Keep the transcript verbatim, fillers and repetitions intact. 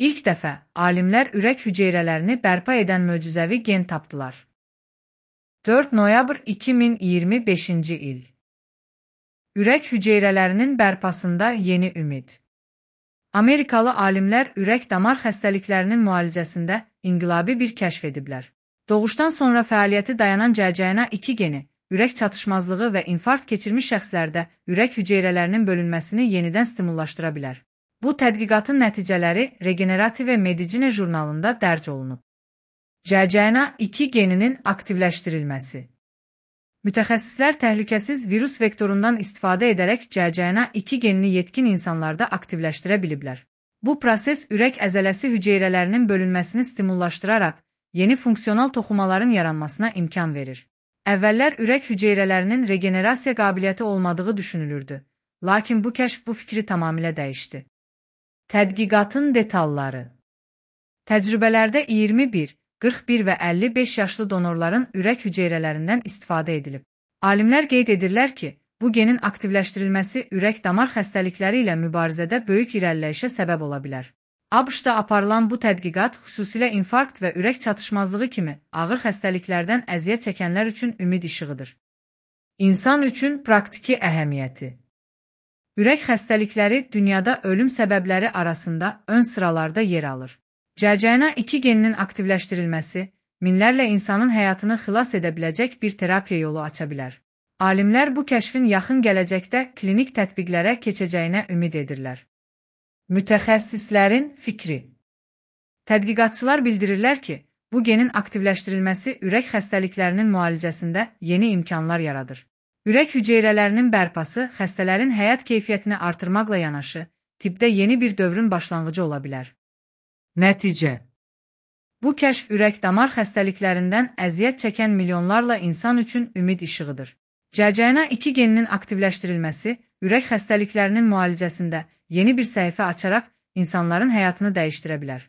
İlk dəfə alimlər ürək hüceyrələrini bərpa edən möcüzəvi gen tapdılar. dörd noyabr iki min iyirmi beşinci il. Ürək hüceyrələrinin bərpasında yeni ümid. Amerikalı alimlər ürək-damar xəstəliklərinin müalicəsində inqilabi bir kəşf ediblər. Doğuşdan sonra fəaliyyəti dayanan C C N A iki geni, ürək çatışmazlığı və infarkt keçirmiş şəxslərdə ürək hüceyrələrinin bölünməsini yenidən stimullaşdıra bilər. Bu tədqiqatın nəticələri Regenerative Medicine jurnalında dərc olunub. C C N A iki geninin aktivləşdirilməsi. Mütəxəssislər təhlükəsiz virus vektorundan istifadə edərək C C N A iki genini yetkin insanlarda aktivləşdirə biliblər. Bu proses ürək əzələsi hüceyrələrinin bölünməsini stimullaşdıraraq yeni funksional toxumaların yaranmasına imkan verir. Əvvəllər ürək hüceyrələrinin regenerasiya qabiliyyəti olmadığı düşünülürdü, lakin bu kəşf bu fikri tamamilə dəyişdi. Tədqiqatın detalları. Təcrübələrdə iyirmi bir, qırx bir və əlli beş yaşlı donorların ürək hüceyrələrindən istifadə edilib. Alimlər qeyd edirlər ki, bu genin aktivləşdirilməsi ürək-damar xəstəlikləri ilə mübarizədə böyük irəliləyişə səbəb ola bilər. ABŞ-da aparılan bu tədqiqat xüsusilə infarkt və ürək çatışmazlığı kimi ağır xəstəliklərdən əziyyət çəkənlər üçün ümid işığıdır. İnsan üçün praktiki əhəmiyyəti. Ürək xəstəlikləri dünyada ölüm səbəbləri arasında ön sıralarda yer alır. C C N A iki geninin aktivləşdirilməsi minlərlə insanın həyatını xilas edə biləcək bir terapiya yolu aça bilər. Alimlər bu kəşfin yaxın gələcəkdə klinik tətbiqlərə keçəcəyinə ümid edirlər. Mütəxəssislərin fikri. Tədqiqatçılar bildirirlər ki, bu genin aktivləşdirilməsi ürək xəstəliklərinin müalicəsində yeni imkanlar yaradır. Ürək hüceyrələrinin bərpası xəstələrin həyat keyfiyyətini artırmaqla yanaşı, tibbdə yeni bir dövrün başlanğıcı ola bilər. Nəticə. Bu kəşf ürək-damar xəstəliklərindən əziyyət çəkən milyonlarla insan üçün ümid işığıdır. C C N A iki geninin aktivləşdirilməsi ürək xəstəliklərinin müalicəsində yeni bir səhifə açaraq insanların həyatını dəyişdirə bilər.